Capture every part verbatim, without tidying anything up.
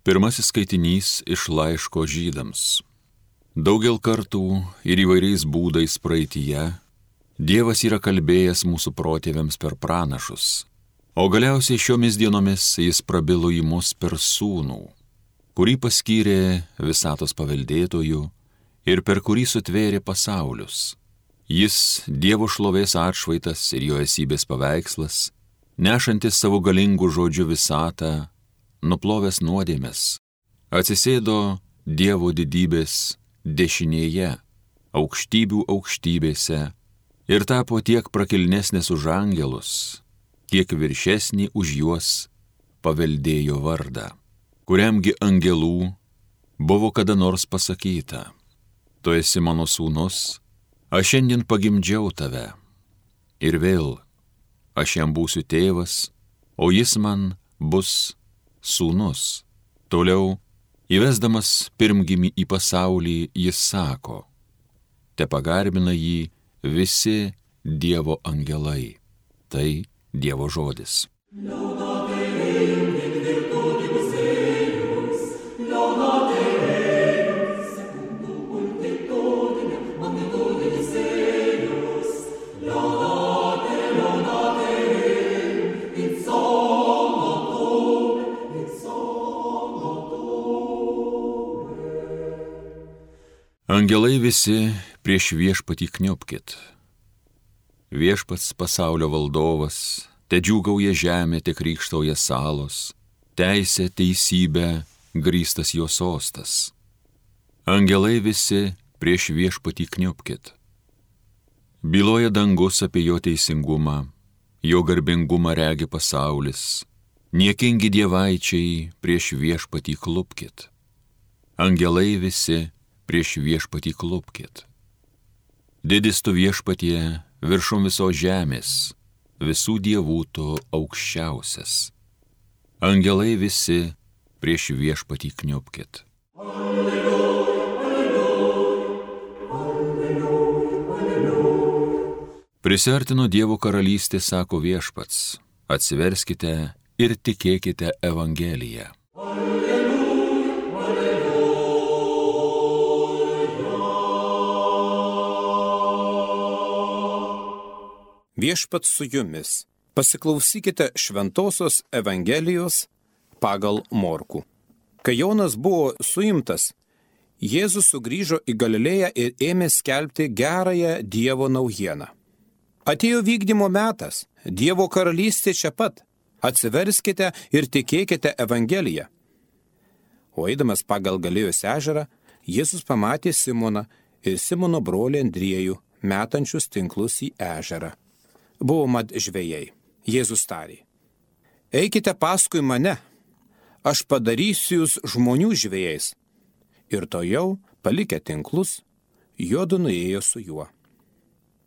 Pirmasis skaitinys iš laiško Žydams. Daugel kartų ir įvairiais būdais praeityje Dievas yra kalbėjęs mūsų protėviams per pranašus, o galiausiai šiomis dienomis jis prabilo į mus per sūnų, kurį paskyrė visatos paveldėtojų ir per kurį sutvėrė pasaulius. Jis Dievo šlovės atšvaitas ir jo esybės paveikslas, nešantis savo galingų žodžių visatą, nuplovęs nuodėmes, atsisėdo Dievo didybės dešinėje, aukštybių aukštybėse ir tapo tiek prakilnesnis už angelus, kiek viršesnį už juos paveldėjo vardą, kuriamgi angelų buvo kada nors pasakyta: tu esi mano sūnus, aš šiandien pagimdžiau tave. Ir vėl, aš jam būsiu tėvas, o jis man bus sūnus. Toliau, įvesdamas pirmgimį į pasaulį, jis sako: te pagarbina jį visi Dievo angelai. Tai Dievo žodis. Angelai visi prieš viešpatį kniupkit. Viešpats pasaulio valdovas, te džiūgauja žemė, te krykštauja salos, teisė, teisybė, grįstas jo sostas. Angelai visi prieš viešpatį kniupkit. Byloja dangus apie jo teisingumą, jo garbingumą regi pasaulis, niekingi dievaičiai prieš viešpatį klupkit. Angelai visi prieš viešpatį klupkit. Didis tu viešpatie viršum visos žemės, visų dievų tu aukščiausias. Angelai visi prieš viešpatį kniupkit. Alleluja, alleluja, alleluja, alleluja. Prisiartino Dievo karalystė, sako viešpats, atsiverskite ir tikėkite Evangeliją. Viešpats su jumis. Pasiklausykite šventosios Evangelijos pagal Morkų. Kai Jonas buvo suimtas, Jėzus sugrįžo į Galilėją ir ėmė skelbti gerąją Dievo naujieną. Atėjo vykdymo metas, Dievo karalystė čia pat. Atsiverskite ir tikėkite Evangeliją. O eidamas pagal Galilėjos ežerą, Jėzus pamatė Simoną ir Simono brolį Andriejų, metančius tinklus į ežerą. Buvo mat žvejai. Jėzus tarė: eikite paskui mane, aš padarysiu jūs žmonių žvejais. Ir to jau, palikę tinklus, juodu nuėjo su juo.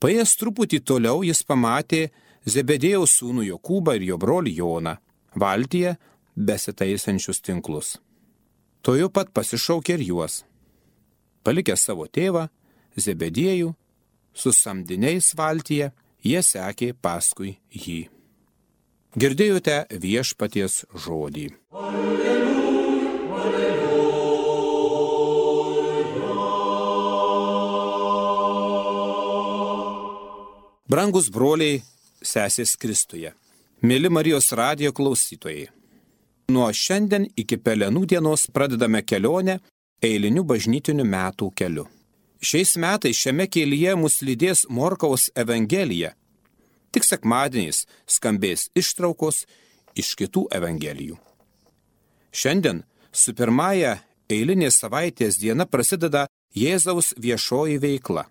Paėjęs truputį toliau jis pamatė Zebedėjaus sūnų Jokūbą ir jo brolį Joną, valtyje besitaisančius tinklus. To jau pat pasišaukė ir juos. Palikę savo tėvą, Zebedėjų, su samdiniais valtyje, jie sekė paskui jį. Girdėjote viešpaties žodį. Alleluja, alleluja. Brangus broliai, sesės Kristuje, mėly Marijos radijo klausytojai. Nuo šiandien iki Pelenų dienos pradedame kelionę eiliniu bažnytiniu metų keliu. Šiais metais šiame kelyje mus lydės Morkaus Evangelija. Tik sekmadieniais skambės ištraukos iš kitų Evangelijų. Šiandien su pirmąja eilinės savaitės diena prasideda Jėzaus viešoji veikla.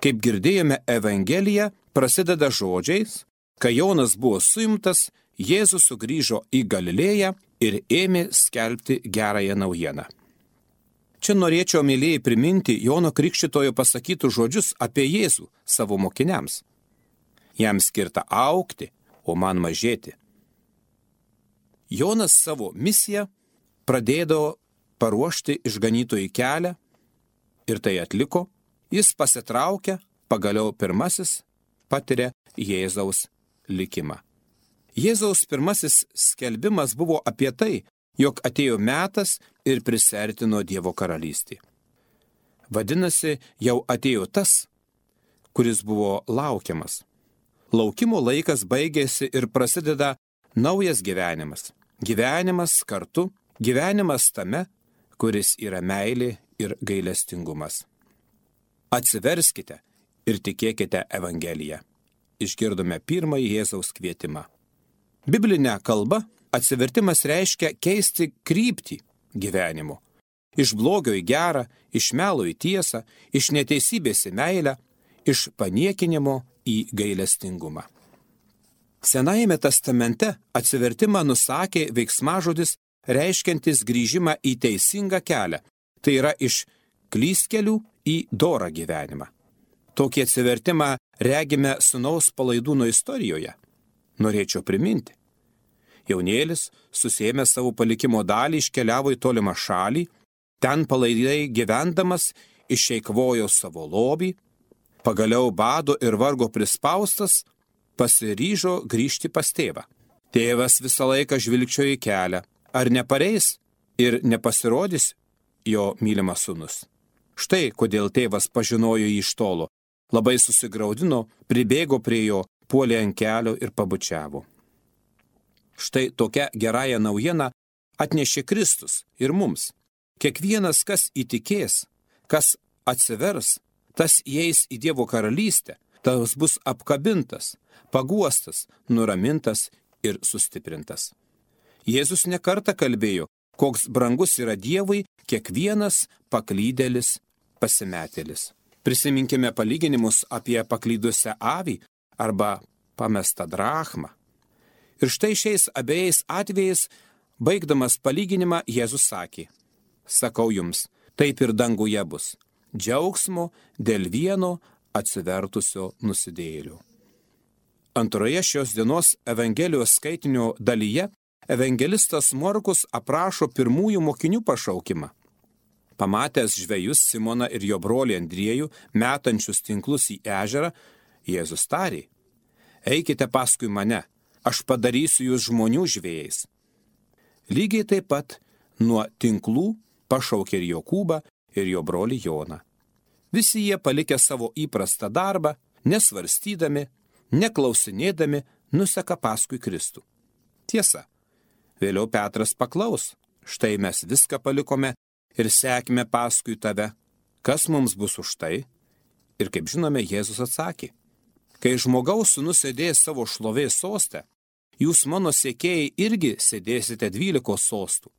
Kaip girdėjome, Evangelija prasideda žodžiais: kai Jonas buvo suimtas, Jėzus sugrįžo į Galilėją ir ėmė skelbti gerąją naujieną. Čia norėčiau, mėlyjei, priminti Jono Krikštytojo pasakytų žodžius apie Jėzų savo mokiniams. Jam skirta augti, o man mažėti. Jonas savo misiją pradėdavo paruošti išganytojų kelią ir tai atliko. Jis pasitraukia, pagaliau pirmasis patiria Jėzaus likimą. Jėzaus pirmasis skelbimas buvo apie tai, jog atėjo metas ir prisertino Dievo karalystė. Vadinasi, jau atėjo tas, kuris buvo laukiamas. Laukimo laikas baigėsi ir prasideda naujas gyvenimas. Gyvenimas kartu, gyvenimas tame, kuris yra meilė ir gailestingumas. Atsiverskite ir tikėkite Evangeliją. Išgirdome pirmąjį Jėzaus kvietimą. Biblinė kalba atsivertimas reiškia keisti kryptį gyvenimo. Iš blogio į gerą, iš melo į tiesą, iš neteisybės į meilę, iš paniekinimo į gailestingumą. Senajame testamente atsivertimą nusakė veiksmažodis reiškiantis grįžimą į teisingą kelią, tai yra iš klystkelių į dorą gyvenimą. Tokį atsivertimą regime sūnaus palaidūno istorijoje. Norėčiau priminti. Jaunėlis, susėmė savo palikimo dalį, iškeliavo į tolimą šalį, ten palaidai gyvendamas išeikvojo savo lobį, pagaliau bado ir vargo prispaustas, pasiryžo grįžti pas tėvą. Tėvas visą laiką žvilgčiojo į kelią, ar nepareis ir nepasirodys jo mylimas sūnus. Štai kodėl tėvas pažinojo jį iš tolo, labai susigraudino, pribėgo prie jo, puolė ant kelio ir pabučiavo. Štai tokia gerąją naujieną atnešė Kristus ir mums. Kiekvienas, kas įtikės, kas atsivers, tas įeis į Dievo karalystę, tas bus apkabintas, paguostas, nuramintas ir sustiprintas. Jėzus nekartą kalbėjo, koks brangus yra Dievui kiekvienas paklydėlis, pasimetėlis. Prisiminkime palyginimus apie paklydusią avį arba pamestą drachmą. Ir štai šiais abiejais atvejais, baigdamas palyginimą, Jėzus sakė, sakau jums, taip ir danguje bus, džiaugsmo dėl vieno atsivertusio nusidėjėlio. Antroje šios dienos Evangelijos skaitinio dalyje evangelistas Morkus aprašo pirmųjų mokinių pašaukimą. Pamatęs žvejus Simoną ir jo brolį Andriejų metančius tinklus į ežerą, Jėzus tarė, eikite paskui mane, aš padarysiu jūs žmonių žvejais. Lygiai taip pat nuo tinklų pašaukė ir Jokūbą ir jo brolį Joną. Visi jie palikę savo įprastą darbą, nesvarstydami, neklausinėdami, nuseka paskui Kristų. Tiesa, vėliau Petras paklaus, štai mes viską palikome ir sekime paskui tave, kas mums bus už tai? Ir kaip žinome, Jėzus atsakė, kai žmogaus sūnus sėdės savo šlovės soste, jūs mano sekėjai irgi sėdėsite dvylikos sostų.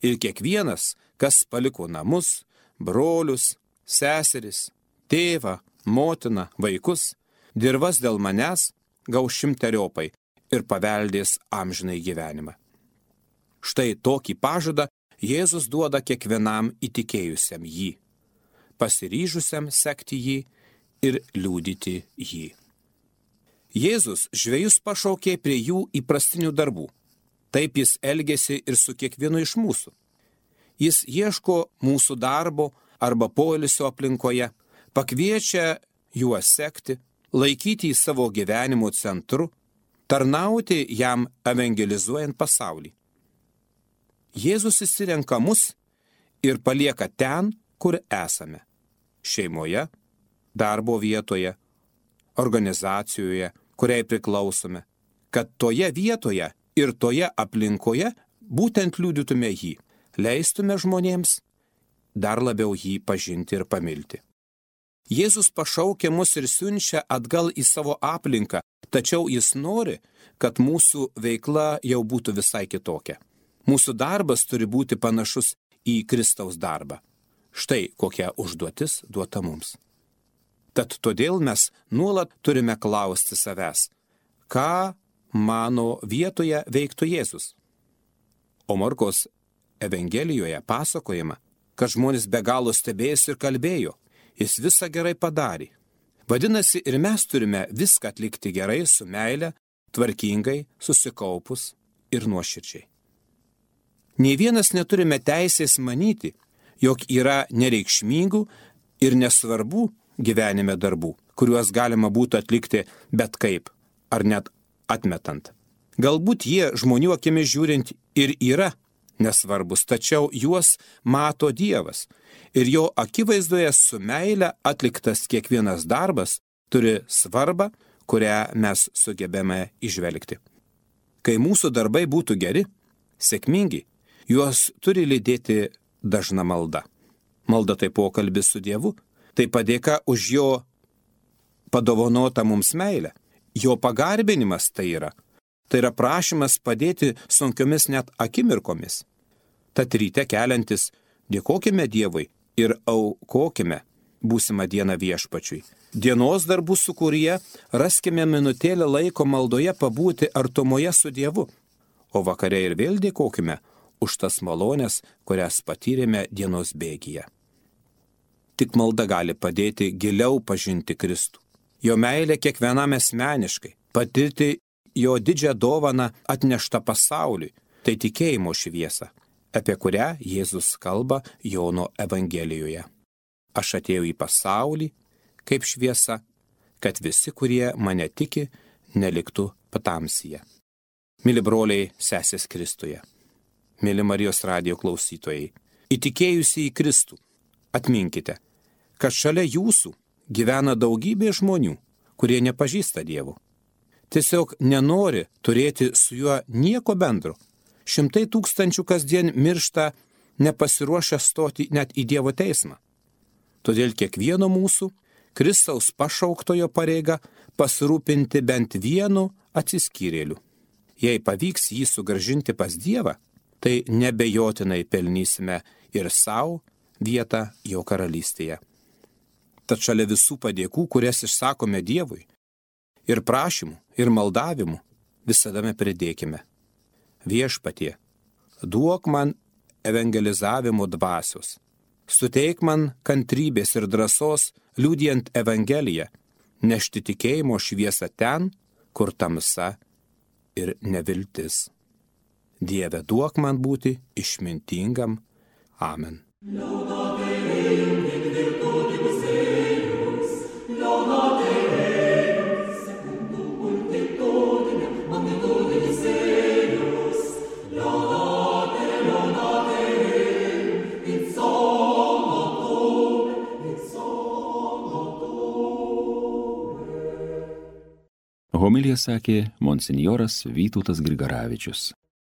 Ir kiekvienas, kas paliko namus, brolius, seseris, tėvą, motiną, vaikus, dirvas dėl manęs, gaus šimteriopai ir paveldės amžinai gyvenimą. Štai tokį pažadą Jėzus duoda kiekvienam įtikėjusiam jį, pasiryžusiam sekti jį ir liudyti jį. Jėzus žvejus pašaukė prie jų įprastinių darbų. Taip jis elgėsi ir su kiekvienu iš mūsų. Jis ieško mūsų darbo arba poilsio aplinkoje, pakviečia juos sekti, laikyti į savo gyvenimo centru, tarnauti jam evangelizuojant pasaulį. Jėzus išsirenka mus ir palieka ten, kur esame – šeimoje, darbo vietoje, organizacijoje, kuriai priklausome, kad toje vietoje ir toje aplinkoje būtent liudytume jį, leistume žmonėms dar labiau jį pažinti ir pamilti. Jėzus pašaukia mus ir siunčia atgal į savo aplinką, tačiau jis nori, kad mūsų veikla jau būtų visai kitokia. Mūsų darbas turi būti panašus į Kristaus darbą. Štai kokia užduotis duota mums. Tad todėl mes nuolat turime klausti savęs, ką mano vietoje veiktų Jėzus. O Morkaus Evangelijoje pasakojama, kad žmonės be galo stebėjosi ir kalbėjo, jis visą gerai padarė. Vadinasi, ir mes turime viską atlikti gerai, su meile, tvarkingai, susikaupus ir nuoširdžiai. Nei vienas neturime teisės manyti, jog yra nereikšmingų ir nesvarbų gyvenime darbų, kuriuos galima būtų atlikti bet kaip, ar net atmetant. Galbūt jie žmonių akimis žiūrint ir yra nesvarbus, tačiau juos mato Dievas. Ir jo akivaizdoje su meile atliktas kiekvienas darbas turi svarbą, kurią mes sugebėme išvelgti. Kai mūsų darbai būtų geri, sėkmingi, juos turi lydėti dažna malda. Malda tai pokalbis su Dievu, tai padėka už jo padovanotą mums meilę. Jo pagarbinimas tai yra. Tai yra prašymas padėti sunkiomis net akimirkomis. Tad ryte keliantis, dėkokime Dievui ir aukokime būsimą dieną viešpačiui. Dienos darbų sūkuryje raskime minutėlę laiko maldoje pabūti artumoje su Dievu, o vakare ir vėl dėkokime už tas malonės, kurias patyrėme dienos bėgyje. Tik malda gali padėti giliau pažinti Kristų. Jo meilė kiekvienam asmeniškai, patirti jo didžią dovaną atneštą pasauliui, tai tikėjimo šviesa, apie kurią Jėzus kalba Jono Evangelijoje. Aš atėjau į pasaulį kaip šviesa, kad visi, kurie mane tiki, neliktų patamsyje. Mili broliai, sesės Kristuje, mili Marijos radijo klausytojai, įtikėjusi į Kristų, atminkite, kad šalia jūsų gyvena daugybė žmonių, kurie nepažįsta Dievo. Tiesiog nenori turėti su juo nieko bendro. Šimtai tūkstančių kasdien miršta nepasiruošę stoti net į Dievo teismą. Todėl kiekvieno mūsų Kristaus pašauktojo pareiga pasirūpinti bent vienu atsiskyrėliu. Jei pavyks jį sugrąžinti pas Dievą, tai nebejotinai pelnysime ir savo vietą jo karalystėje. Tad šalia visų padėkų, kurias išsakome Dievui, ir prašymų, ir maldavimų, visada pridėkime: Viešpatie, duok man evangelizavimo dvasios, suteik man kantrybės ir drąsos liudijant Evangeliją, nešti tikėjimo šviesą ten, kur tamsa ir neviltis. Dieve, duok man būti išmintingam. Amen. Homiliją sakė monsinjoras Vytautas Grigaravičius.